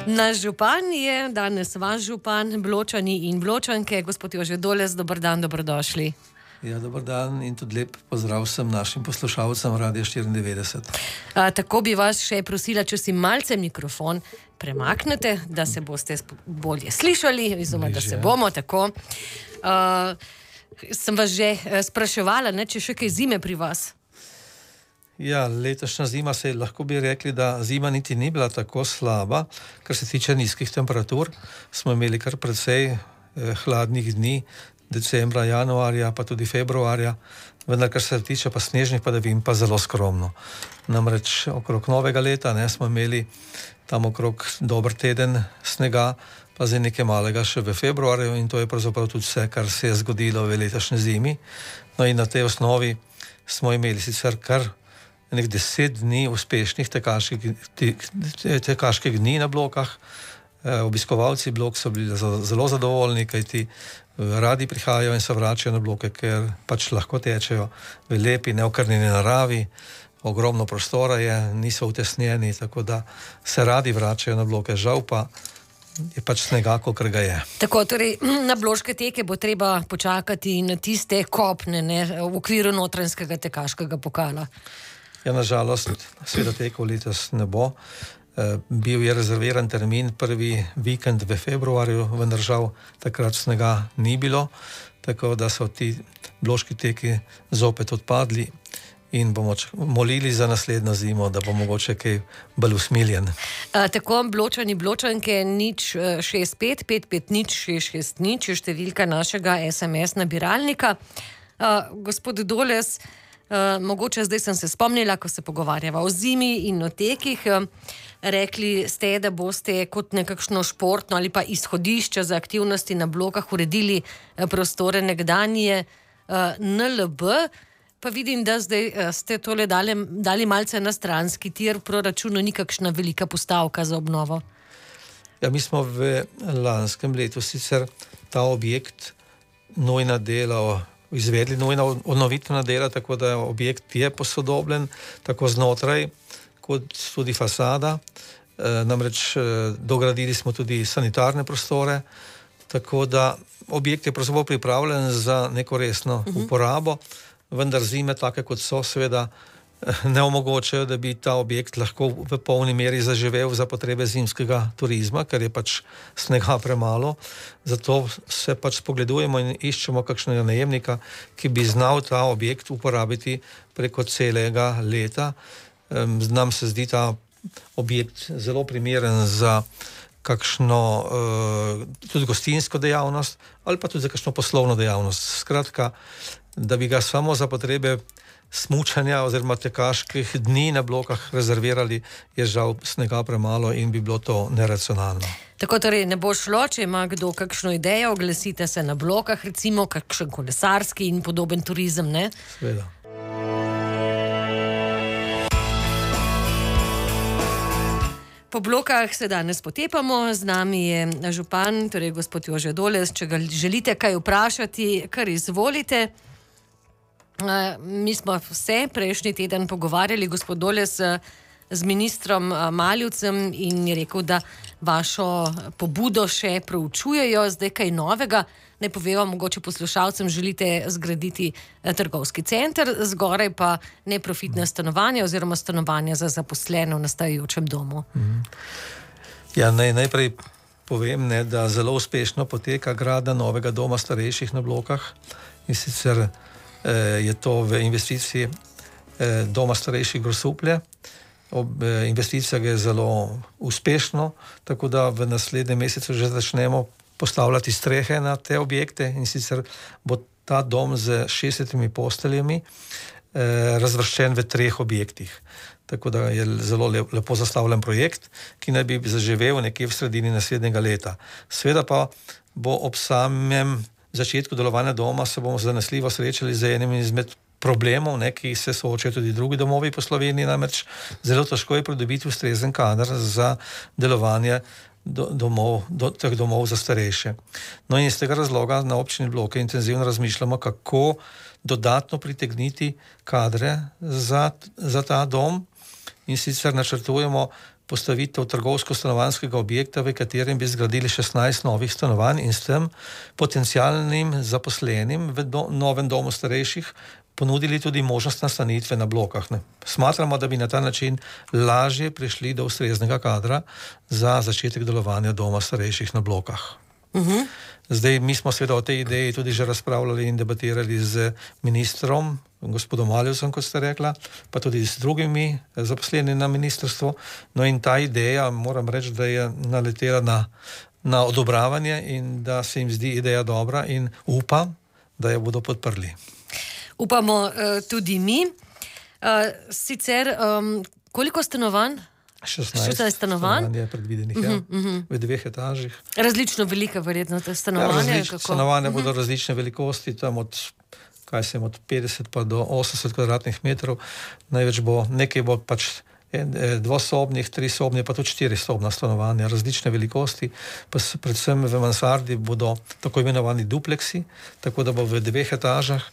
Naš župan je danes vaš župan, Bločani in Bločanke. Gospod Jože Doles, dober dan, dobrodošli. Ja, dober dan in tudi lep pozdrav vsem našim poslušalcem Radia 94. Tako bi vas še prosila, če si malce mikrofon premaknete, da se boste bolje slišali, oziroma da se bomo tako. Sem vas že spraševala, če še kaj zime pri vas? Ja, letošnja zima lahko bi rekli, da zima niti ni bila tako slaba, kar se tiče nizkih temperatur. Smo imeli kar precej hladnih dni, decembra, januarja, pa tudi februarja, vendar kar se tiče pa snežnih padavin, pa zelo skromno. Namreč okrog novega leta smo imeli tam okrog dober teden snega, pa zdaj nekaj malega še v februarju, in to je pravzaprav tudi vse, kar se je zgodilo v letošnji zimi. No in na tej osnovi smo imeli sicer kar 10 dni uspešnih tekaških dni na blokah. Obiskovalci blok so bili zelo zadovoljni, kajti radi prihajajo in se vračajo na bloke, ker pač lahko tečejo v lepi, neokrnjeni naravi, ogromno prostora je, niso utesnjeni, tako da se radi vračajo na bloke. Žal pa je pač snega, kolikor ga je. Tako, torej na bloške teke bo treba počakati na tiste kopne, v okviru notranjskega tekaškega pokala. Ja, nažalost, seveda tekov letos ne bo. Bil je rezerviran termin prvi vikend v februarju, vendar žal takrat snega ni bilo, tako da so ti bloški teki zopet odpadli in bomo molili za naslednjo zimo, da bo mogoče kaj bolj usmiljen. Tako, Bločani, Bločanke, 065 550 660 je številka našega SMS nabiralnika. Gospod Doles, mogoče zdaj sem se spomnila, ko se pogovarjava o zimi in o tekih, rekli ste, da boste kot nekakšno športno ali pa izhodišče za aktivnosti na blokah uredili prostore nekdanje NLB, pa vidim, da zdaj ste tole dali malce na stranski tir, v proračunu ni kakšna velika postavka za obnovo. Ja, mi smo v lanskem letu sicer ta objekt nujna dela izvedli, nujna obnovitvena dela, tako da objekt je posodobljen, tako znotraj kot tudi fasada. Namreč dogradili smo tudi sanitarne prostore, tako da objekt je pravzaprav pripravljen za neko resno uporabo, vendar zime, take kot so, seveda ne omogočajo, da bi ta objekt lahko v polni meri zaživel za potrebe zimskega turizma, ker je pač snega premalo. Zato se pač spogledujemo in iščemo kakšnega najemnika, ki bi znal ta objekt uporabiti preko celega leta. Nam se zdi ta objekt zelo primeren za kakšno tudi gostinsko dejavnost ali pa tudi za kakšno poslovno dejavnost. Skratka, da bi ga samo za potrebe smučanja oziroma tekaških dni na blokah rezervirali, je žal snega premalo in bi bilo to neracionalno. Tako, torej ne bo šlo, če ima kdo kakšno idejo, oglasite se na blokah, recimo kakšen kolesarski in podoben turizem, ne? Seveda. Po blokah se danes potepamo, z nami je župan, torej gospod Jože Doles. Če ga želite kaj vprašati, kar izvolite. Mi smo se prejšnji teden pogovarjali, gospod Doles, z ministrom Maljevcem in je rekel, da vašo pobudo še proučujejo, zdaj kaj novega. Naj poveva mogoče poslušalcem, želite zgraditi trgovski center, zgoraj pa neprofitne stanovanja oziroma stanovanja za zaposlene v nastajajočem domu. Ja, najprej povem, da zelo uspešno poteka gradnja novega doma starejših na blokah, in sicer je to v investiciji doma starejših Grosuplje. Investicija je zelo uspešno, tako da v naslednjem mesecu že začnemo postavljati strehe na te objekte, in sicer bo ta dom z 60 posteljami razvrščen v 3 objektih. Tako da je zelo lepo zastavljen projekt, ki naj bi zaživel nekje v sredini naslednjega leta. Sveda pa bo ob samem začetku delovanja doma se bomo zanesljivo srečali z enim izmed problemov, ki se soočajo tudi drugi domovi po Sloveniji, namreč zelo težko je pridobiti ustrezen kader za delovanje teh domov za starejše. No in iz tega razloga na občini Bloke intenzivno razmišljamo, kako dodatno pritegniti kadre za ta dom, in sicer načrtujemo postavitev trgovsko-stanovanjskega objekta, v katerem bi zgradili 16 novih stanovanj in s tem potencialnim zaposlenim v novem domu starejših ponudili tudi možnost nastanitve na blokah. Ne. Smatramo, da bi na ta način lažje prišli do ustreznega kadra za začetek delovanja doma starejših na blokah. Zdaj, mi smo seveda o tej ideji tudi že razpravljali in debatirali z ministrom, gospodom Maljevcem, kot ste rekla, pa tudi z drugimi zaposlenimi na ministrstvu. No in ta ideja, moram reči, da je naletela na odobravanje in da se jim zdi ideja dobra in upam, da jo bodo podprli. Upamo tudi mi. Sicer, koliko stanovanj? 16 stanovanj je predvidenih, v 2 etažih. Različno velika verjetno ta stanovanja? Stanovanja bodo različne velikosti, tam od 50 pa do 80 kvadratnih metrov. Največ bo, nekaj bo pač dvosobnih, 3-sobnih, pa tudi 4-sobna stanovanja, različne velikosti, pa predvsem v mansardi bodo tako imenovani dupleksi, tako da bo v 2 etažah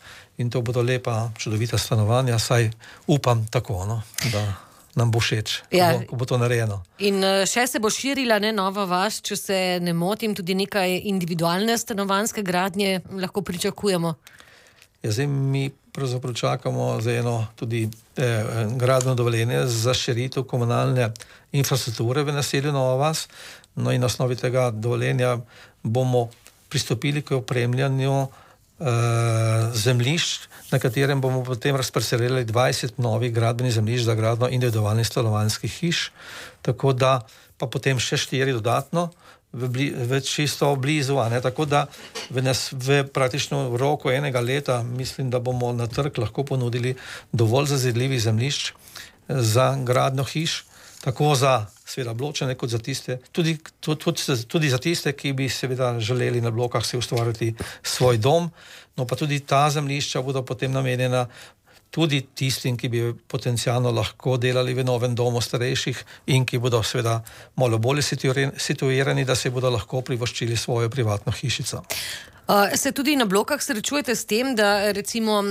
in to bodo lepa, čudovita stanovanja, saj upam tako, no, da nam bo všeč, ko bo to narejeno. In še se bo širila nova vas, če se ne motim, tudi nekaj individualne stanovanjske gradnje lahko pričakujemo? Zdaj mi pravzaprav čakamo za eno tudi gradbeno dovoljenje za širitev komunalne infrastrukture v naselju Nova vas. No in na osnovi tega dovoljenja bomo pristopili k opremljanju zemljišč, na katerem bomo potem razparcelirali 20 novih gradbenih zemljišč za gradnjo individualnih stanovanjskih hiš, tako da pa potem še 4 dodatno v čisto blizu, tako da v praktično roku 1 leta mislim, da bomo na trg lahko ponudili dovolj zazidljivih zemljišč za gradnjo hiš, tako za seveda Bločane, kot za tiste, tudi za tiste, ki bi seveda želeli na blokah si ustvariti svoj dom, no pa tudi ta zemljišča bodo potem namenjena tudi tistim, ki bi potencialno lahko delali v novem domu starejših in ki bodo seveda malo bolje situirani, da se bodo lahko privoščili svojo privatno hišico. Se tudi na blokah srečujete s tem, da recimo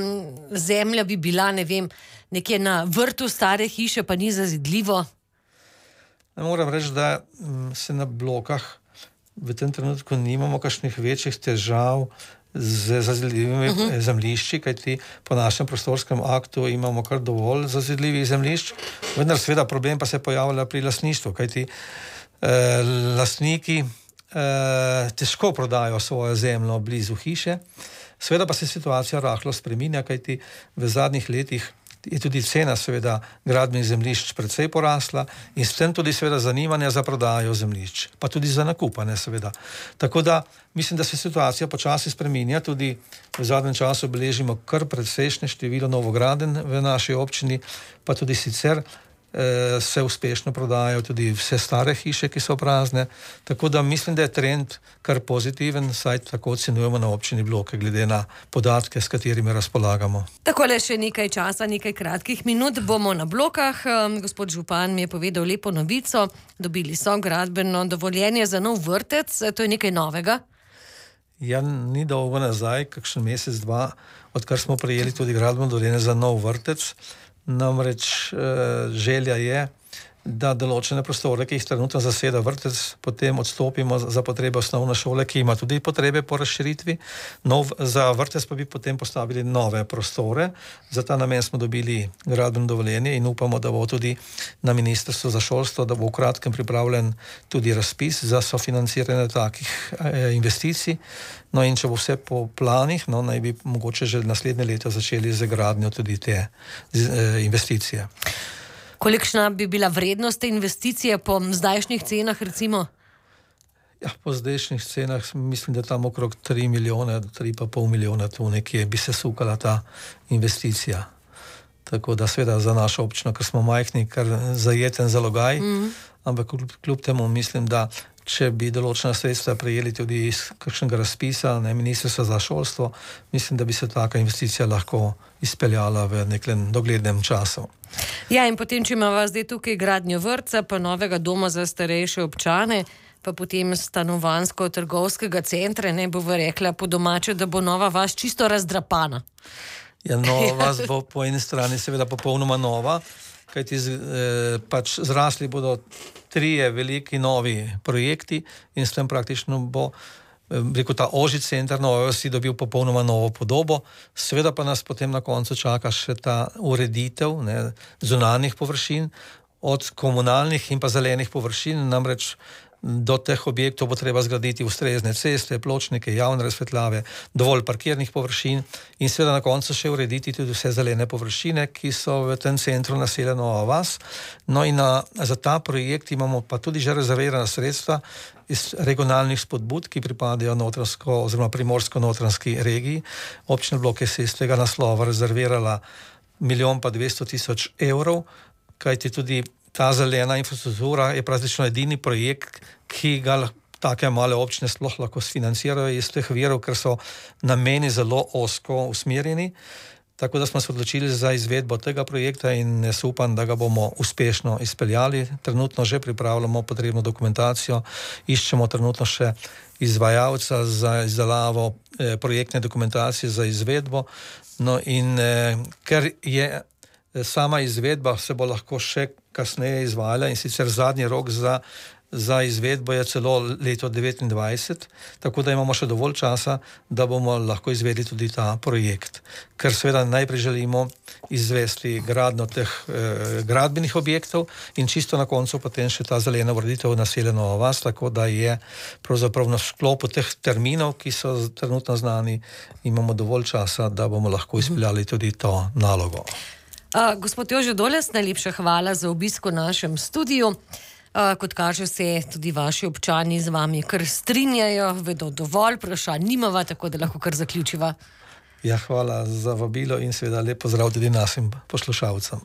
zemlja bi bila, ne vem, nekje na vrtu stare hiše, pa ni zazidljivo? Moram reči, da se na blokah v tem trenutku nimamo kakšnih večjih težav z zazidljivimi zemljišči, kajti po našem prostorskem aktu imamo kar dovolj zazidljivih zemljišč, vendar seveda problem pa se pojavlja pri lastništvu, kajti lastniki težko prodajo svojo zemljo blizu hiše, seveda pa se situacija rahlo spreminja, kajti v zadnjih letih je tudi cena seveda gradbenih zemljišč precej porasla in s tem tudi seveda zanimanja za prodajo zemljišč, pa tudi za nakupane seveda. Tako da mislim, da se situacija počasi spreminja, tudi v zadnjem času beležimo kar precejšnje število novogradenj v naši občini, pa tudi sicer se uspešno prodajajo tudi vse stare hiše, ki so prazne, tako da mislim, da je trend kar pozitiven, saj tako ocenjujemo na občini Bloke, glede na podatke, s katerimi razpolagamo. Takole še nekaj časa, nekaj kratkih minut bomo na blokah. Gospod župan mi je povedal lepo novico, dobili so gradbeno dovoljenje za nov vrtec, to je nekaj novega? Ja, ni dolgo nazaj, kakšen mesec, 2, odkar smo prejeli tudi gradbeno dovoljenje za nov vrtec. Namreč želja je, da določene prostore, ki jih trenutno zaseda vrtec, potem odstopimo za potrebe osnovne šole, ki ima tudi potrebe po razširitvi. Za vrtec pa bi potem postavili nove prostore. Za ta namen smo dobili gradbeno dovoljenje in upamo, da bo tudi na Ministrstvu za šolstvo, da bo v kratkem pripravljen tudi razpis za sofinanciranje takih investicij. No in če bo vse po planih, naj bi mogoče že naslednje leto začeli z gradnjo tudi te investicije. Kolikšna bi bila vrednost te investicije po zdajšnjih cenah, recimo? Ja, po zdajšnjih cenah mislim, da tam okrog 3 milijone, 3,5 milijona tu nekje bi se sukala ta investicija. Tako da seveda za našo občino, ker smo majhni, kar zajeten zalogaj, ampak kljub temu mislim, da če bi določena sredstva prejeli tudi iz kakšnega razpisa, Ministrstva za šolstvo, mislim, da bi se taka investicija lahko izpeljala v nekem doglednem času. Ja, in potem, če imamo zdaj tukaj gradnjo vrtca, pa novega doma za starejše občane, pa potem stanovanjsko-trgovskega centra, ne bo rekla po domače, da bo Nova vas čisto razdrapana. Ja, Nova vas bo po eni strani seveda popolnoma nova, kajti pač zrasli bodo 3 veliki novi projekti in s tem praktično bo rekel, ta ožji center Nove vasi dobil popolnoma novo podobo. Seveda pa nas potem na koncu čaka še ta ureditev zunanjih površin, od komunalnih in pa zelenih površin, namreč do teh objektov bo treba zgraditi ustrezne ceste, pločnike, javne razsvetljave, dovolj parkirnih površin in seveda na koncu še urediti tudi vse zelene površine, ki so v tem centru naselja Nova vas. No in za ta projekt imamo pa tudi že rezervirana sredstva iz regionalnih spodbud, ki pripadajo notranjsko oziroma primorsko-notranjski regiji. Občina Blok je se iz tega naslova rezervirala 1,2 milijona evrov, kajti tudi ta zelena infrastruktura je praktično edini projekt, ki ga take male občine sploh lahko sfinancirajo iz teh virov, ker so nameni zelo ozko usmerjeni. Tako da smo se odločili za izvedbo tega projekta in jaz upam, da ga bomo uspešno izpeljali. Trenutno že pripravljamo potrebno dokumentacijo, iščemo trenutno še izvajalca za izdelavo projektne dokumentacije za izvedbo. No in ker je sama izvedba se bo lahko še kasneje izvajala in sicer zadnji rok za izvedbo je celo leto 2029, tako da imamo še dovolj časa, da bomo lahko izvedli tudi ta projekt. Ker seveda najprej želimo izvesti gradnjo teh gradbenih objektov in čisto na koncu potem še ta zelena ureditev naselja Nova vas, tako da je pravzaprav na sklopu teh terminov, ki so trenutno znani, imamo dovolj časa, da bomo lahko izpeljali tudi to nalogo. Gospod Jože Doles, najlepša hvala za obisk v našem studiu. Kot kaže se, tudi vaši občani z vami kar strinjajo, vedo dovolj, vprašanj nimava, tako da lahko kar zaključiva. Ja, hvala za vabilo in seveda lep pozdrav tudi našim poslušalcem.